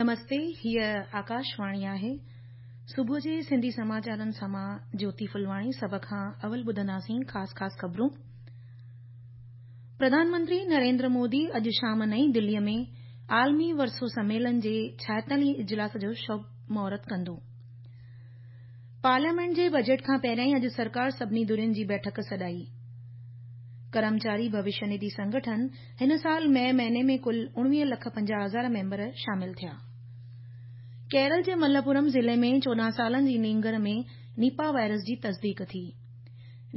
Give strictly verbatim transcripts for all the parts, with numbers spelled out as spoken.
نمستي، هيءَ آڪاشواڻي آهي. صبح جي سنڌي سماچارن سان مان جيوتي ڦلواڻي. سڀ کان اول ٻڌنداسين خاص خاص خبرون. پرڌان منتري نريندر مودي اڄ شام نئين دليء ۾ عالمي ورثو سميلن جي ڇائيتاليهين اجلاس جو شڀ مهورت ڪندو. پارليامينٽ جي بجيٽ کان پهريائين اڄ سرڪار سڀني ڌرين جي بيٺڪ سڏائي. ڪرمچاري ڀوشيه نڌي سنگٺن هن سال مئي مهيني ۾ ڪل اڻويهه لک پنجاهه هزار ميمبر شامل ٿيا. ڪيرل جي ملپورم ضلعي ۾ چوڏهن سالن جي نينگر ۾ نيپا وائرس جي تصديق ٿي.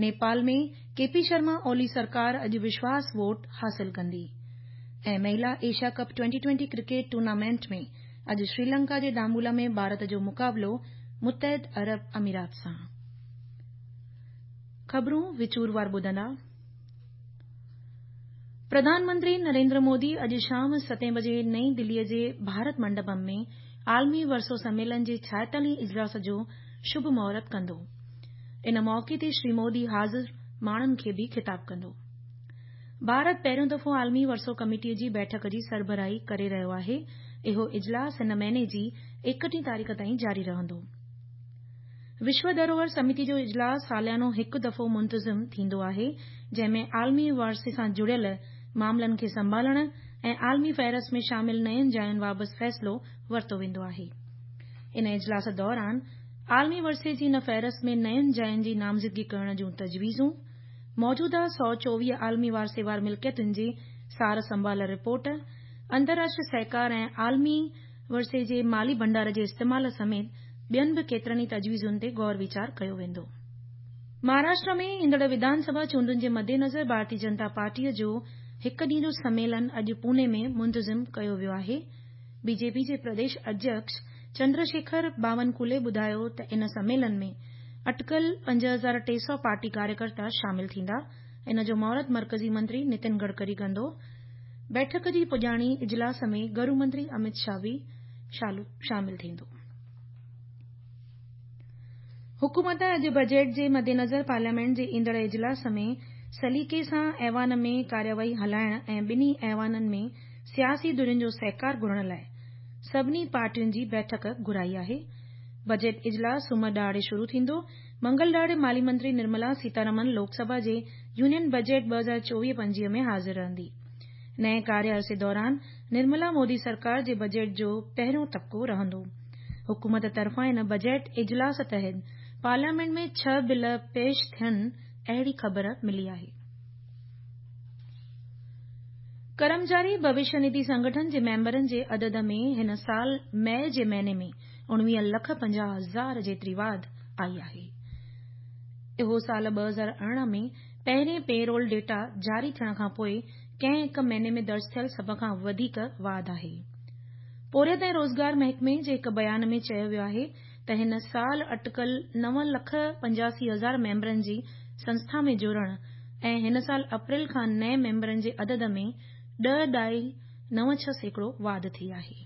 نيپال ۾ ڪي پي شرما اولي سرڪار اڄ وشواس ووٽ حاصل ڪندي. ۽ مهلا Asia cup twenty twenty cricket tournament ۾ اڄ شريلنڪا جي ڊامبولا ۾ ڀارت جو مقابلو متحده عرب امارات سان. خبرون وچوروار ٻڌندا. پرڌان منتري نريندر مودي اڄ شام ستين بجي نئين دليء جي ڀارت منڊپم ۾ عالمي ورثو سميلن جي ڇائيتاليهين اجلاس جو شڀ مهورت ڪندو. ان موقعي تي شري مودي حاضر ماڻهن کي به خطاب ڪندو. ڀارت پهريون دفعو عالمي ورثو ڪميٽيء جي بيٺڪ جي سربراهي ڪري رهيو آهي. اهو اجلاس هن مهيني جي ايڪٽيهين تاريخ تائين جاري رهندو. وشو ڌروهر سميتي جو اجلاس ساليانو هڪ دفعو منتظم ٿيندو آهي، جنهن ۾ عالمي ورثي سان جڙيل معاملن کي سنڀالڻ ۽ عالمي فهرست ۾ شامل نين جاين بابت فيصلو ورتو ويندو آهي. ان اجلاس دوران عالمي ورثي جي ان فهرست ۾ نين جاين جي نامزدگي ڪرڻ جون تجويزون، موجوده سؤ چوويهه عالمي ورثي وار ملڪيتن جي سار سنڀال رپورٽ، انترراشٽريه سهڪار ۽ عالمي ورثي جي مالي ڀنڊار جي استعمال سميت ٻين به ڪيترن ئي تجويزن تي غور ويچار ڪيو ويندو. مهاراشٽر ۾ ايندڙ وڌان سڀا چونڊن جي مدنظر ڀارتيه جنتا پارٽيء جو هڪ ڏينهن جو سميلن اڄ پوني ۾ منتظم ڪيو ويو آهي. بي جي پي جي پرديش اڌيڪش چندرشيکر باونڪولي ٻڌايو ته ان سميلن ۾ اٽڪل پنج هزار ٽي سؤ پارٽي ڪاريڪرتا شامل ٿيندا. ان جو مهورت مرڪزي منتري نتن گڊڪري ڪندو. بيٺڪ جي پڄاڻي اجلاس ۾ گهرو منتري امت شاهه به شامل ٿيندو. حڪومت اڄ بجيٽ جي مدنظر پارليامينٽ جي ايندڙ اجلاس ۾ سليقي سان ايوان ۾ ڪارروائي هلائڻ ۽ ٻنهي ايوانن ۾ سياسي ڌرين جو سهڪار گهرڻ لاءِ سڀني پارٽين جي بيٺڪ گهرائي آهي. بجيٽ اجلاس سومر ڏهاڙي شروع ٿيندو. منگل ڏهاڙي مالي منتري نرملا سيتارمن لوڪ سڀا جي يونين بجيٽ ٻه هزار چوويهه پنجويهه ۾ حاضر رهندي. نئين ڪاريه عرصي دوران نرملا مودي سرڪار جي بجيٽ جو پهريون طبقو رهندو. حڪومت طرفان ان بجيٽ اجلاس تحت پارليامينٽ ۾ ڇهه بل پيش ٿين اهڙي خبر ملي آهي. ڪرمچاري ڀوشيه نڌي سنگٺن جي ميمبرن جي عدد ۾ هن سال مئي جي مهيني ۾ اڻويهه لک پنجاهه هزار جيتري واڌ آئي آهي. اهو سال ٻه هزار ارڙهن ۾ پهرين پي رول ڊيٽا جاري ٿيڻ کان پوءِ ڪنهن هڪ مهيني ۾ درج ٿيل سڀ کان وڌيڪ واڌ آهي. پورهيت ۽ روزگار محڪمي جي هڪ بيان ۾ چيو ويو آهي ته هن سال اٽڪل نو لک پنجاسي هزار ميمبرن جي سنسٿا ۾ جڙڻ ۽ هن سال اپريل کان نئين ميمبرن جي عدد ۾ ڏهه ڏهائي نو ڇهه سيڪڙو واڌ ٿي آهي.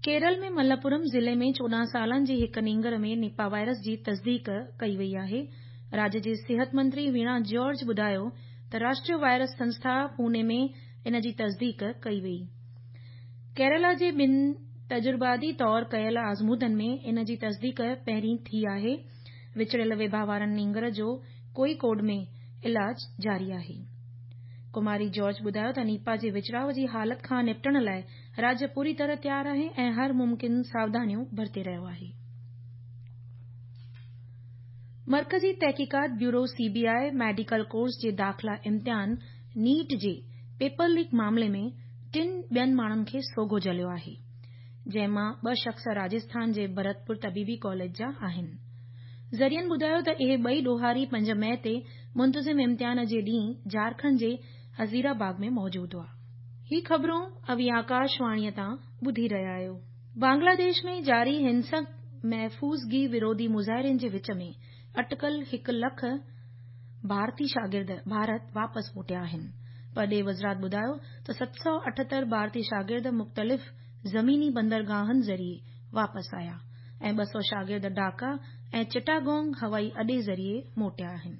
ڪيرل ۾ ملپورم ضلعي ۾ چوڏهن سالن جي هڪ نينگر ۾ نيپا وائرس جي تصديق ڪئي وئي آهي. راجيه جي صحت منتري ويڻا جارج ٻڌايو ته راشٽريه وائرس سنسٿا پوني ۾ ان جي تصديق ڪئي وئي. ڪيرالا جي ٻن تجرباتي طور ڪيل آزمودن ۾ ان جي تصديق پهرين ٿي آهي. وچڙيل وبا وارن نينگر جو ڪوئيڪوڊ ۾ علاج جاري آهي. ڪماري جارج ٻڌايو ته نيپا جي وچڙاءُ جي حالت کان نپٽڻ لاءِ راجيه پوري طرح تيار آهي ۽ هر ممڪن ساوڌانيون برتي رهيو آهي. مرڪزي تحقيقات bureau C B I medical course جي داخلا امتحان نيٽ جي پيپر ليڪ معاملي ۾ ٽن ٻين ماڻهن کي سوگهو جهليو آهي، جنهن مان ٻه شخص راجسٿان جي ڀرتپور طبيبي ڪاليج جا آهن. ذريعن ٻڌايو ته اهي ٻئي ڏوهاري پنج مئي تي منتظم امتحان جي ڏينهن جهارکنڊ جي هزيرا باغ ۾ موجود هئا. هي خبرون اوهين آڪاشواڻيء تان ٻڌي رهيا آهيو. بنگلاديش ۾ جاري هنسڪ محفوظگي وروڌي مظاهرين جي وچ ۾ اٽڪل هڪ لک ڀارتي شاگرد ڀارت واپس موٽيا آهن. پرڏيهي وزارت ٻڌايو ته ست سؤ اٺهتر ڀارتي شاگرد مختلف زميني بندرگاهن ذريعي واپس آيا ۽ ٻه سؤ شاگرد ڍاڪا ۽ چٽاگونگ هوائي اڏي ذريعي موٽيا آهن.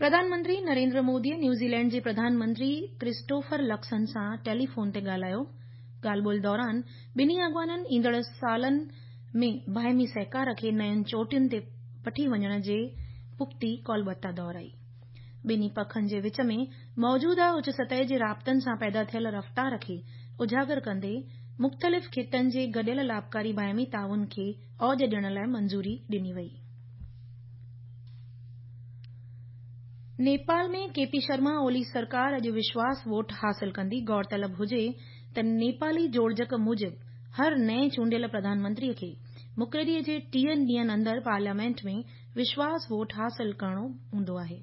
پرڌان منتري نريندر موديءَ نيوزيلينڊ جي پرڌان منتري ڪرسٽوفر لڪسن سان ٽيليفون تي ڳالهايو. ڳالهه ٻولهه دوران ٻنهي اڳواڻن ايندڙ سالن ۾ باهمي سهڪار کي نين چوٽين تي وٺي وڃڻ جي پختي ڪالبتا دهرائي. ٻنهي پکن جي وچ ۾ موجوده اچ سطح جي رابطن سان پيدا ٿيل رفتار کي اجاگر ڪندي مختلف خطن جي گڏيل لاڀڪاري باهمي تعاون کي اوج ڏيڻ لاءِ منظوري ڏني وئي. نيپال ۾ ڪي پي شرما اولي سرڪار اڄ وشواس ووٽ حاصل ڪندي. غور طلب هجي ته نيپالي جوڙجڪ موجب هر نئين چونڊيل پرڌان منتري کي مقرري جي ٽيهه ڏينهن اندر پارليامينٽ ۾ وشواس ووٽ حاصل ڪرڻو هوندو آهي.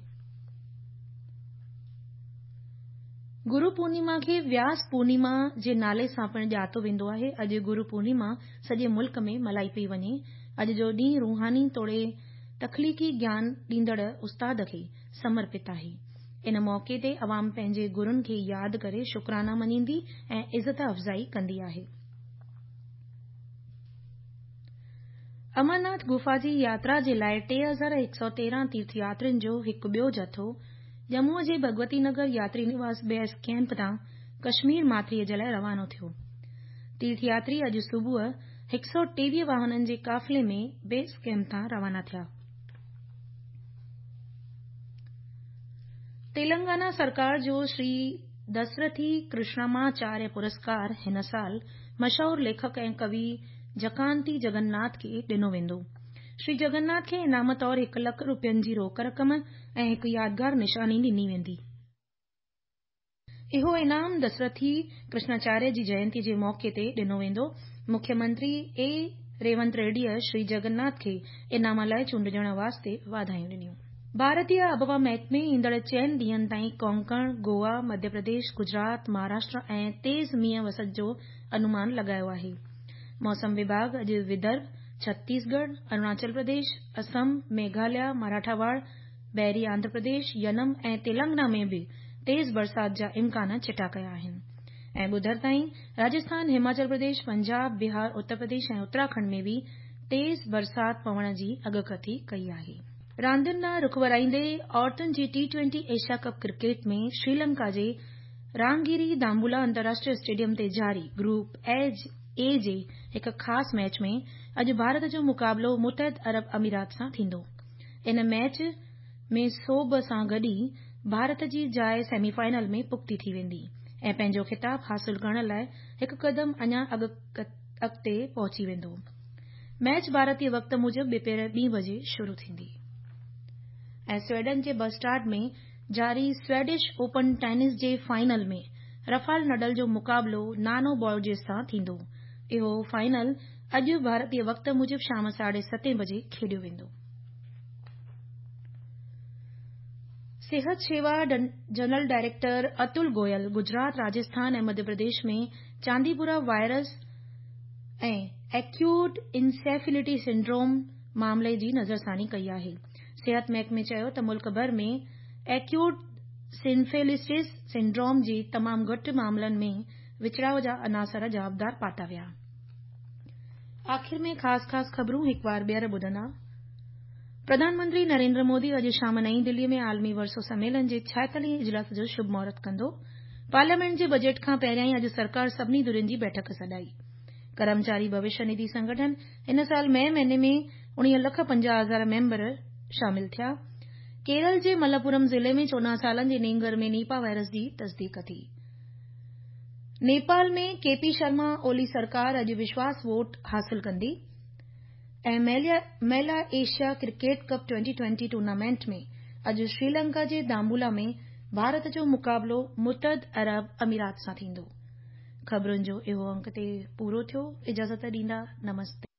گرو پورنيما کي وياس پورنيما جي نالي سان پڻ ڄاتو ويندو آهي. اڄ گرو پورنيما سڄي ملڪ ۾ ملهائي پئي وڃي. اڄ جو ڏينهن روحاني توڙي تخليقي گيان ڏيندڙ استاد کي سمرپت آهي. ان موقعي تي عوام پنهنجي گرن کي ياد ڪري شڪرانا مڃيندي ۽ عزت افزائي ڪندي آهي. امرناٿ گفا جي ياترا جي لاءِ ٽي هزار هڪ سؤ تيرهن تيرٿ ياترين جو هڪ ٻيو جٿو ڄمون جي ڀڳوتي نگر ياتري نواس بيس ڪيمپ تان ڪشمير ماٿريءَ جي لاءِ روانو ٿيو. تيرٿ ياتري اڄ صبح هڪ سؤ ٽيويهه واهنن جي قافلي ۾ بيس ڪيمپ تان روانا ٿيا. تيلنگانا سرڪار جو شري دسرٿي ڪرشنماچاريه پرسڪار هن سال مشهور ليکڪ ۽ ڪوي جڪانتي جگن ناٿ کي ڏنو ويندو. شري جگن ناٿ کي انعام طور هڪ لک روپين جي روڪ رقم ۽ هڪ يادگار نشاني ڏني ويندي. اهو انعام دسرٿي ڪرشناچاريه جي جينتي جي موقعي تي ڏنو ويندو. مکيه منتري اي ريونت ريڊيءَ شري جگن ناٿ کي انعام لاءِ چونڊجڻ واسطي واڌايون ڏنيون. ڀارتيه آبهوا محڪمي ايندڙ چئن ڏينهن تائين ڪونڪڻ، گوا، مڌيه پرديش، گجرات، مهاراشٽر ۽ تيز مينهن وسڻ جو انومان لڳايو آهي. موسم وڀاڳ اڄ ودرڀ، ڇتيسڳڙهه، اروناچل پرديش، اسم، ميگهاليا، مراٺاواڙ، بحري آنڌرا پرديش، ينم ۽ تيلنگانا ۾ به تيز برسات جا امڪان چٽا ڪيا آهن ۽ ٻڌر تائين راجسٿان، هماچل پرديش، پنجاب، بهار، اتر پرديش ۽ اتراکنڊ ۾ به تيز برسات پوڻ جي اڳڪٿي ڪئي آهي. راندين ڏانهن رخ ورائيندي عورتن جي T twenty Asia cup cricket ۾ Sri Lanka جي رانگيري دامبولا انترراشٽريه اسٽيڊيم تي جاري گروپ اي جي هڪ خاص ميچ ۾ اڄ ڀارت جو مقابلو متحده عرب امارات سان ٿيندو. ان ميچ ۾ سوڀ سان گڏ ئي ڀارت جي جاءِ سيمي فائنل ۾ پختي ٿي ويندي ۽ پنهنجو خطاب حاصل ڪرڻ لاءِ هڪ قدم اڃا اڳتي پهچي ويندو. ميچ ڀارتي وقت موجب ٻپهر ٻي بجي شروع ٿيندي. ۽ سويڊن جي بسٽاڊ ۾ جاري سويڊش اوپن ٽينس جي فائنل ۾ رافال نڊل جو مقابلو نانو بورجس سان ٿيندو. اهو فائنل اڄ ڀارتي وقت موجب شام ساڍي ستين بجي کيڏيو ويندو. صحت شيوا general director Atul Goel Gujarat, Rajasthan ۽ Madhya Pradesh ۾ Chandipura virus ۽ acute encephalitis syndrome معاملي جي نظرثاني ڪئي آهي. صحت محڪمي چيو ته ملڪ ڀر ۾ ايڪيوٽ انسيفلٽس سنڊروم جي تمام گهٽ معاملن ۾ وچڙاءُ جا عناصر جوابدار پاتا ويا. آخر ۾ خاص خاص خبرون هڪ بار ٻيهر ٻڌندا. پرڌان منتري نريندر مودي اڄ شام نئين دلي ۾ عالمي ورثو سميلن جي ڇائيتاليهين اجلاس جو شڀ مهورت ڪندو. پارليامينٽ جي بجيٽ کان پهريان اڄ سرڪار سڀني ڌرين جي بيٺڪ سڏائي. ڪرمچاري ڀوشيه نڌي سنگٺن هن سال مئي مهيني ۾ اڻويهه لک پنجاهه هزار ميمبر شامل ٿيا. ڪيرل جي ملپورم ضلعي ۾ چوڏهن سالن جي نينگر ۾ نيپا وائرس جي تصديق ٿي. نيپال ۾ ڪي پي شرما اولي سرڪار اڄ وشواس ووٽ حاصل ڪندي. ۽ مهلا Asia cricket cup twenty twenty tournament ۾ اڄ سريلنڪا جي دامبولا ۾ ڀارت جو مقابلو متحده عرب امارات سان ٿيندو. خبرن جو اهو انڪ تي پورو ٿيو. اجازت ڏيندا. نمستي.